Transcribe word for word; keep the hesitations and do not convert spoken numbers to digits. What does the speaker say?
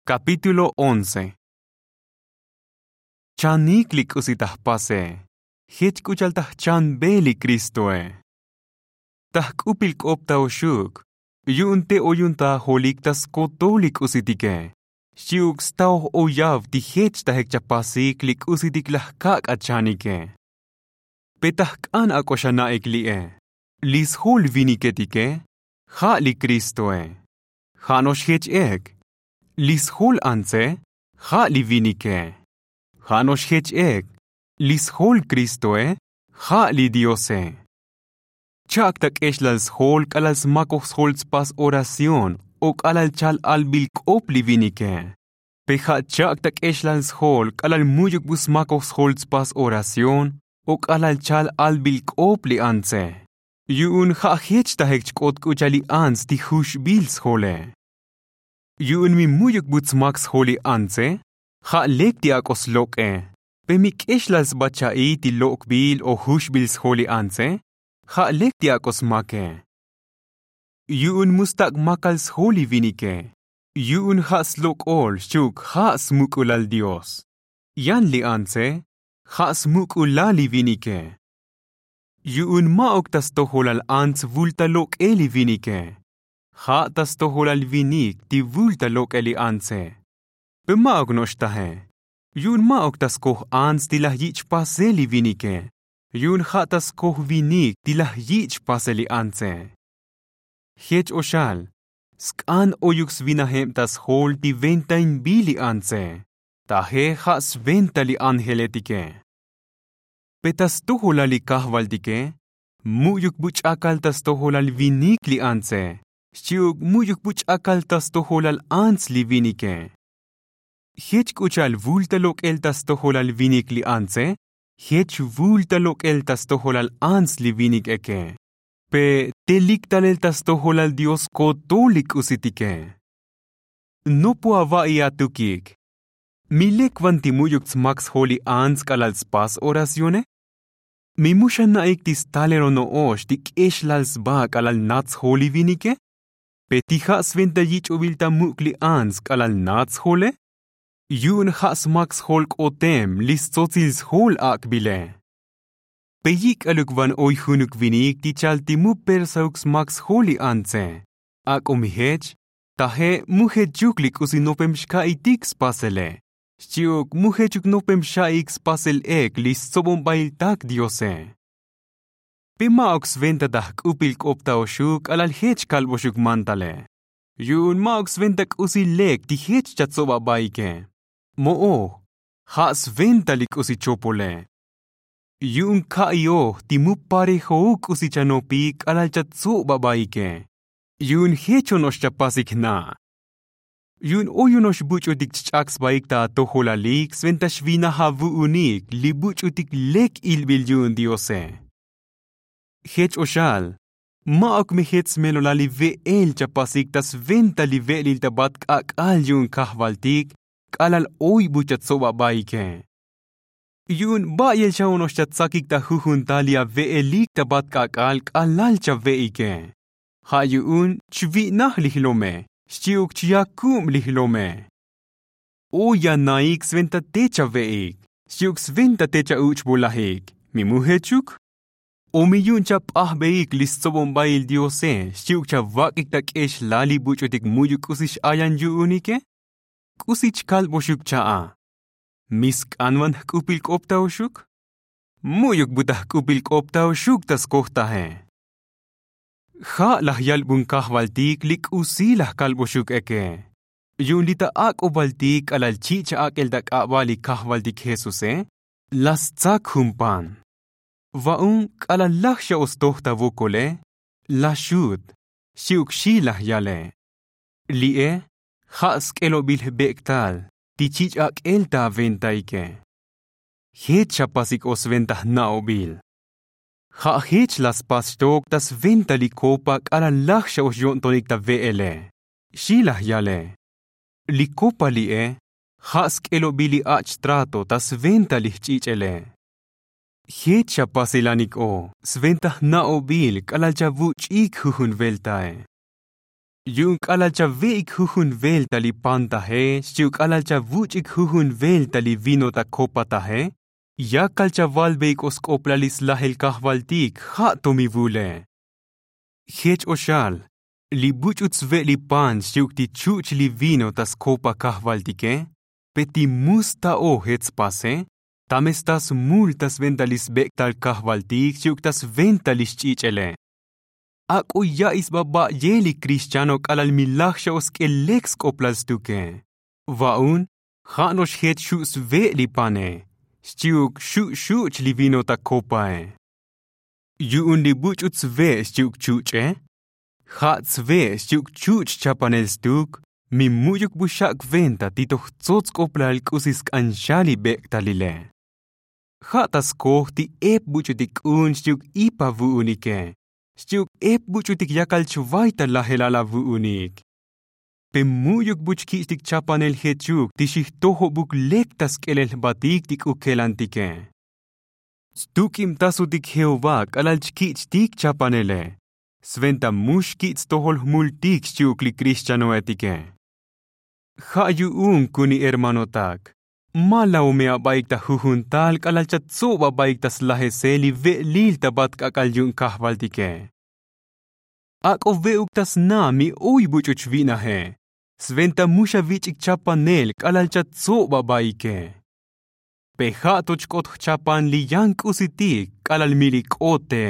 Kapítulo once. Chanik li k'usi ta jpase. Jech k'u cha'al ta jchanbe li kristoe. Ta jk'upil k'op ta oxuk, yu'un te oyuntajolik ta skotol li k'usitike. Xchi'uk staoj oyav ti jech tajek chapasik li k'usitik laj kak' achanike. Pe ta jk'an ak'o xana'ik li'e. Li sjol viniketike ja' li kristoe. Ja' no'ox jech ek. Li sjol antse ja' li vinike. Ja' no'ox jech ek. Li sjol kristoe ja' li diose. Cha'ak ta k'exlal sjol k'alal smakoj sjol tspas oración o k'alal chal albil k'op li vinike. Pe ja' cha'ak ta k'exlal sjol k'alal mu'yuk bu smakoj sjol tspas oración o k'alal chal albil k'op li antse. Yu'un ja' jech tajek chk'ot k'u cha'al li ants ti juxbil sjole. Yu'un mi mu'yuk bu tsmak sjol li antse ja' lek ti ak'o slok'e. Pe mi k'exlal sba cha'i ti lok'bil o juxbil sjol li antse ja' lek ti ak'o smake. Yu'un mu stak' makal sjol li vinike. Yu'un ja' slok'ol xchi'uk ja' smuk'ulal dios. Yan li antse ja' smuk'ulal li vinike. Yu'un ma'uk ta stojolal ants vul ta lok'el li vinike. Ja' ta stojolal vinik ti vul ta lok'el li antse. Pe ma'uk no'ox taje. Yu'un ma'uk ta skoj ants ti laj yich' chpasel li vinike. Yu'un ja' ta skoj vinik ti laj yich' chpasel li antse. Jech o xal sk'an oyuk svinajeb ta sjol ti ventainbil li antse. Taje ja' sventa li ángeletike. Pe ta stojolal li kajvaltike mu'yuk bu ch'akal ta stojolal vinik li antse. Xchi'uk mu'yuk bu ch'akal ta stojolal ants li vinike. Jech k'u cha'al vul ta lok'el ta stojolal vinik li antse jech vul ta lok'el ta stojolal ants li vinik eke. Pe telik talel ta stojolal dios kotol li k'usitike. Nopo ava'i atukik. Mi lek van ti mu'yuk tsmak sjol li ants k'alal tspas oracione. Mi mu xana'ik ti stalel ono'ox ti k'exlal sba k'alal nat sjol li vinike. Pe ti ja' sventa yich'obil ta muk' li ants k'alal nat sjole. Yu'un ja' smak sjol k'otem li stsotsil sjol ak'bile. Pe yik'aluk van oy junuk vinik ti chal ti mu persauk smak sjol li antse. Ak'o mi jech taje mu jechuk li k'usi nopem xka'itik spasele. Xchi'uk mu jechuk nopem xa'ik spasel ek li stsobonbail tak diose. Pe ma'uk sventa ta jk'upil k'op ta oxuk k'alal jech kalboxuk mantale. Yu'un ma'uk sventa k'usi lek ti jech chatsob abaike. Mo'oj ja' sventa li k'usi chopole. Yu'un ka'ioj ti mu parejouk k'usi chanopik k'alal chatsob abaike. Yu'un jech ono'ox chapasik jna'. Yu'un oy ono'ox buch'utik chch'ak sbaik ta atojolalik sventa xvinaj avu'unik li buch'utik lek ilbil yu'un diose. Jech o xal ma'uk mi jech smelolal li ve'el chapasik ta sventa li ve'elil ta bat k'ak'al yu'un kajvaltik k'alal oy bu chatsob abaike. Yu'un ba'yel xa ono'ox chatsakik ta jujun tal li ave'elik ta bat k'ak'al k'alal chave'ike. Ja' yu'un chvi'naj li jlome xchi'uk chya kub li jlome. Oy anaik sventa te chave'ik xchi'uk sventa te cha'uch'bulajik. Mi mu jechuk o mi yu'un chap'ajbeik li stsobonbail diose xchi'uk chavak'ik ta k'exlal li buch'utik mu'yuk k'usi x'ayan yu'unike. K'usi chkalboxuk cha'a. Mi sk'an van jk'upil k'op ta oxuk. Mu'yuk bu ta jk'upil k'op ta oxuk ta skoj taje. Ja' laj yalbun kajvaltik li k'usi laj kalboxuk eke. Yu'un li ta ak'obaltik k'alal chich' ak'el ta k'abal li kajvaltik jesuse. La stsak jun pan. Va'un k'alal laj xa o stoj ta vokole la xut. Xchi'uk xi laj yale. Li'e ja' sk'elobil jbek'tal ti chich' ak'el ta aventaike. Jech xapasik o sventa jna'obil. Ja' jech la spas xtok ta sventa li kopa k'alal laj xa o xyo'ntonik ta ve'ele. Xi laj yale. Li kopa li'e ja' sk'elobil li ach' trato ta sventa li jch'ich'ele. Jech xapasilanik o sventa jna'obil k'alal chavuch'ik jujun veltae. Yu'un k'alal chave'ik jujun velta li pan taje xchi'uk k'alal chavuch'ik jujun velta li vino ta kopa taje, yakal chavalveik o sk'oplal li slajel kajvaltik ja' to mi vule. Jech o xal, li buch'u tsve' li pan xchi'uk ti chuch' li vino ta skopa kajvaltike, pe ti mu sta'o jech spase? Ta me sta smul ta sventa li sbek'tal kajvaltik xchi'uk ta sventa li xch'ich'ele. Ak'o ya'i sba ba'yel li krixchano k'alal mi laj xa o sk'el lek sk'oplal stuke. Va'un, ja' no'ox jech xu' sve' li pane xchi'uk xu' xuch' li vino ta kopae. Yu'un li buch'u tsve' xchi'uk chuch'e, ja' tsve' xchi'uk chuch' chapanel stuk, mi mu'yuk bu xak' venta ti toj tsots k'oplal k'usi sk'an xa li bek'talile. Ja' ta skoj ti ep buch'utik k'un xchi'uk ip avu'unike xchi'uk ep buch'utik yakal chvay ta lajelal avu'unik. Pe mu'yuk bu chkich'tik chapanel jechuk ti xijtojobuk lek ta sk'elel jbatik ti k'u kelantike. Stuk'ibtasutik jehová k'alal chkich'tik chapanele, sventa mu xkich' stojol jmultik xchi'uk li krixchanoetike. Ja' yu'un kuni hermanotak, ma la'o me abaik ta jujun tal k'alal chatsob abaik ta slajesel li ve'lil ta bat k'ak'al yu'un kajvaltike. Ak'o ve'uk ta sna mi oy buch'u chvi'naje, sventa mu xavich'ik chapanel k'alal chatsob abaike. Pe ja' to chk'ot jchapan li yan k'usitik k'alal mi li k'ot te.